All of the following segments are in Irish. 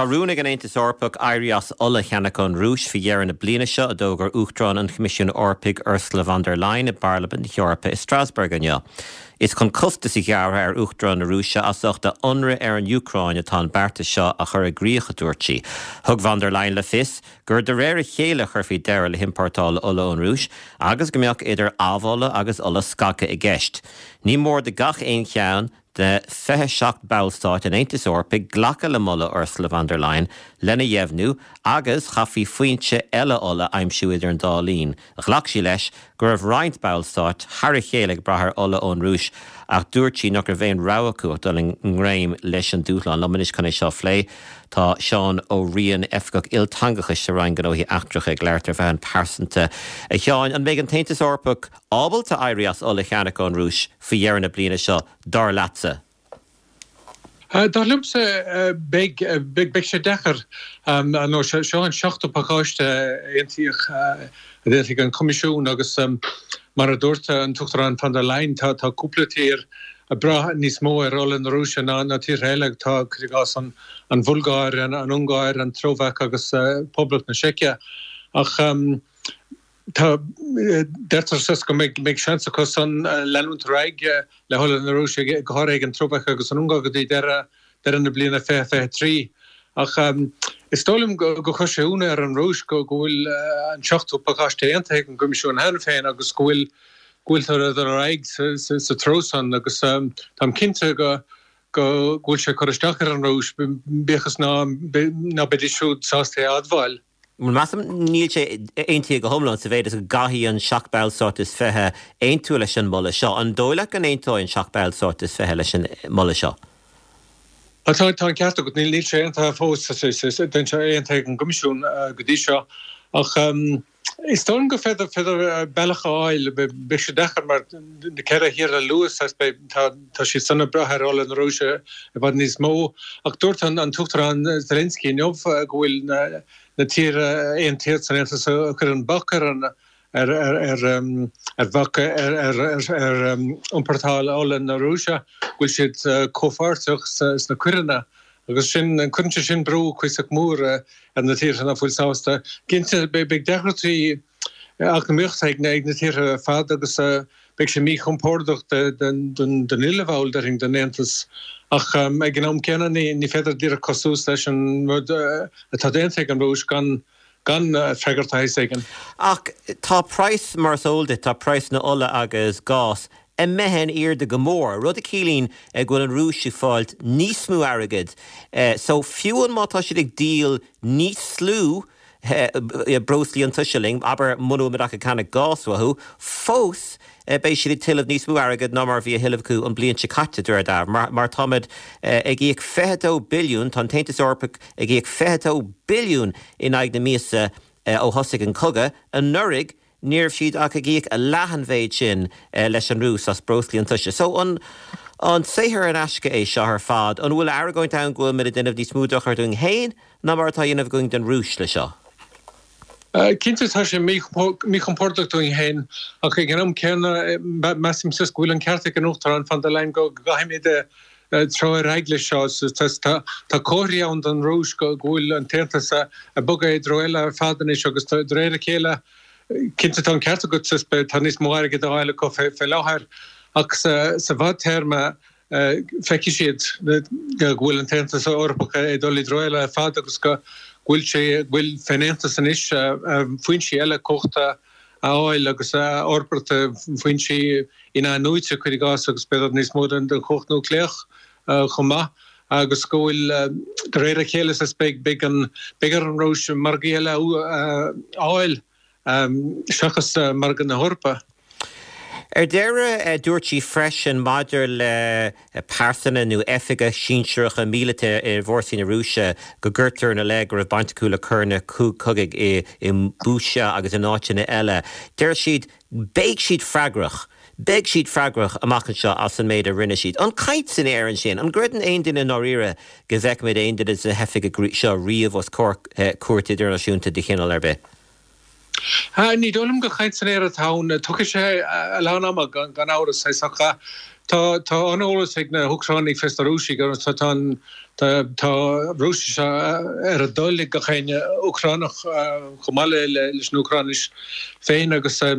Tá rún ag an Aontas Eorpach éirí as ola a cheannach ón Rúis faoi dheireadh na bliana seo, a d'fhógair Uachtarán an Choimisiúin Eorpaigh Ursula von der Leyen i bParlaimint na hEorpa i Strasbourg inniu. Is chun costas a ghearradh ar Uachtarán na Rúise as ucht a ionradh ar an Úcráin atá an beartas seo á chur i gcrích, a dúirt sí. Thug von der Leyen le fios gur de réir a chéile a chuirfí deireadh le hiompórtáil ola ón Rúis agus go mbeadh idir amhola agus ola scagtha i gceist. Ní mór do gach aon cheann de 27 ballstáit an Aontais Eorpaigh glacadh le moladh Ursula von der Leyen lena dheimhniú agus chaithfí foinse eile ola a aimsiú idir an dá linn. Ghlac sí leis go raibh roinnt ballstáit thar a chéile ag brath ar ola ón Rúis ach dúirt sí nach raibh aon rogha acu ach dul i ngreim leis an dúshlán. Liom anois chun é seo a phlé tá Seán Ó Riain, Oifigeach Ilteangachais sa Roinn Gnóthaí Eachtracha ag labhairt ar mheán pearsanta. A Sheáin, an mbeidh an tAontas Eorpach ábalta éirí as ola a cheannach ón Rúis faoi dheireadh na bliana seo, dar leatsa? Dar liomsa, beidh. Beidh sé deacair. Nó seo an seachtú pacáiste a aontaíodh, a d'aontaigh an Coimisiún agus mar a dúirt an tUachtarán von der Leyen, tá cúpla tír ag brath níos mó ar ola na Rúise ná tíortha eile. Tá, cuir i gcás, an Bhulgáir, an Ungáir, an tSlóvaic agus Poblacht na Seice. Ach Tá, deirtear saghas go mbeidh seans acu san leanúint ar aghaidh le hola na Rúise, go háirithe ag an tSlóvaic agus an Ungáir go dtí deireadh na bliana 2023. Ach is dóigh liom go gcuirfidh sé ionadh ar an Rúis go bhfuil an seachtú pacáiste aontaithe ag an gCoimisiún cheana féin agus go bhfuil go bhfuiltear ag dul ar aghaidh sa treo san agus táim cinnte go go bhfuil sé ag cur isteach ar an Rúis, bíodh is ná beidís siúd sásta é a admháil. Measaim, níl sé aontaithe go hiomlán sa mhéid is go gcaithfidh an 7 ballstát is 20 aontú leis an moladh seo. An dóigh leat go n-aontóidh an 7 ballstát is 20 leis an moladh seo? Tá an ceart agat, níl sé aontaithe fós, níl sé aontaithe ag an gCoimisiún go dtí seo. Ach is dóigh liom gur féidir bealach a fháil, beidh sé deacair mar na ceithre thír a luadh, tá siad san ag brath ar ola na Rúise i bhfad níos mó. Ach dúirt an tUachtarán Zelensky inniu go bhfuil na tíortha a aontaíodh san Aontas a chuireann bac ar an ar ar bhac ar ar iompórtáil ola na Rúise, go bhfuil siad comhpháirteach sna coireanna agus sin, cuireann sé sin brú cuíosach mór ar na tíortha nach bhfuil sásta. Cinnte, beidh deacrachtaí eacnamaíochta ag na tíortha ar fad agus beidh sé míchompordach don uile bhall, déarfainn, den Aontas. Ach ag an am céanna, ní féidir díreach cur suas leis an rud atá déanta ag an Rúis gan gan freagairt de shaghas éigin. Ach tá praghas, mar is eol duit, tá praghas na ola agus gás imithe in airde go mór, rud a chiallaíonn go bhfuil an Rúis ag fáilt níos mó airgid. So fiú má tá siad ag díol níos lú breoslaí iontaise linn, abair muna bhfuil muid ach ag ceannach gás uathu, fós beidh siad ag tuilleamh níos mó airgid ná mar a bhí á thuilleamh acu an bliain seo caite, de réir dealraimh, mar táimid ag íoc 22 billiún, tá an tAontas Eorpach ag íoc 22 billiún in aghaidh na míosa ó thosaigh an cogadh anuraidh, ní raibh siad ach ag íoc leath an mhéid sin leis an Rúis as breoslaí iontaise. So an an saothar in aisce é seo ar fad? An bhfuil argóint ann go bhfuil muid ag déanamh níos mó dochair dúinn féin ná mar atá á dhéanamh againn don Rúis le seo? Cinnte tá sé míchompordach dúinn féin ach ag an am céanna measaim go bhfuil an ceart ag an Uachtarán von der Leyen go gcaithfimid treo ar aghaidh leis seo. Tá comharthaí ann don Rúis go bhfuil an tAontas ag bogadh i dtreo eile ar fad anois agus de réir a chéile, cinnte tá an ceart agat, tá níos mó airgid á fháil acu fé láthair ach sa bhfadtéarma feicfidh siad go bhfuil an tAontas Eorpach ag dul i dtreo eile ar fad agus go bhfuil sé, go bhfuil fén Aontas anois foinsí eile cumhachta a fháil agus a fhorbairt, foinsí in-athnuaite, cuir i gcás, agus b'fhéidir níos mó den chumhacht núicléach chomh maith, agus go bhfuil, de réir a chéile, beidh beidh ar an Rúis margaí eile a fháil seachas margadh na hEorpa. Ar deireadh, dúirt sí freisin maidir le pearsana nó oifigigh sinsearacha míleata i bhfórsaí na Rúise go gcuirtear ina leith go raibh baint acu le coireanna cogaidh i mBucha agus in áiteanna eile. Deir siad, beidh siad freagrach, beidh siad freagrach amach anseo as an méid a rinne siad. An caint san aer ansin? An gcreideann aon duine i ndáiríre go bhfeicfimid aon duine de na hoifigigh seo riamh os comhair cúirt idirnáisiúnta de chineál ar bith? Ní dóigh liom gur chaint san aer atá ann. Tógfaidh sé a lán ama, gan amhras. Ach Tá tá an-eolas ag na hÚcránaigh fés na Rúisigh agus tá tá an tá tá Rúisis ar a dtoil ag gach éinne Úcránach chomh maith le leis an Úcráinis féin agus tá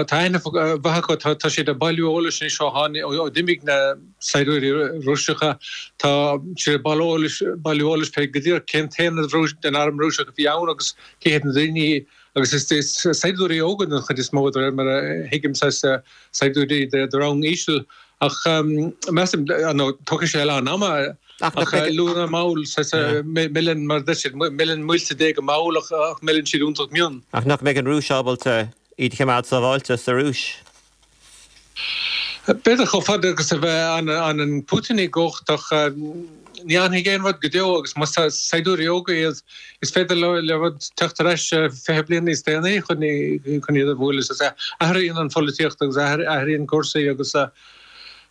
tá aithne mhaith acu. Tá tá siad ag bailiú eolais anois ó tháinig ó d'imigh na saighdiúirí Rúiseacha. Tá siad ag bailiú eolais bailiú eolais fé go díreach cén t-aonad den arm Rúiseach a bhí ann agus cé hiad na daoine Agus is saighdiúirí óga den chuid is mó, de réir mar a thuigim, saghas saighdiúirí de rang íseal. Ach measaim, nó tógfaidh sé a lán ama, ach luath nó mall, saghas, milleann, mar a deir siad, milleann muilte Dé go mall ach milleann siad iontach mion. Ach nach mbeidh an Rúis ábalta iad a choimeád sábháilte sa Rúis? B'fhéidir chomh fada agus a bheidh an Putin i gcumhacht ach ní fhanfaidh aon rud go deo agus más saighdiúirí óga iad is féidir le rud teacht ar ais 20 bliain níos déanaí chun iad a bhualadh. Athraíonn an pholaitíocht agus athraíonn cúrsaí agus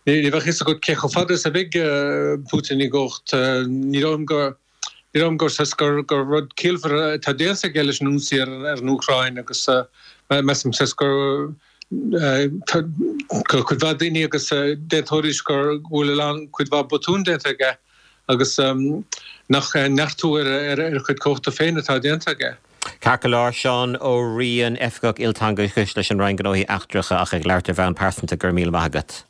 ní bheadh fhios agat cé chomh fada is a bheidh Putin i gcumhacht. Ní dóigh liom go Ní dóigh liom gur saghas gur gur rud ciallmhar atá déanta aige leis an ionsaí ar an Úcráin agus measaim saghas gur tá cuid mhaith daoine agus d'aontóidís gur go bhfuil a lán cuid mhaith botún déanta aige agus nach neartú ar a chuid cumhachta féin atá déanta aige. Ceart go leor, Seán Ó Riain, Oifigeach Ilteangachais leis an Roinn Gnóthaí Eachtracha ach ag labhairt ar bhonn pearsanta, go raibh míle maith agat.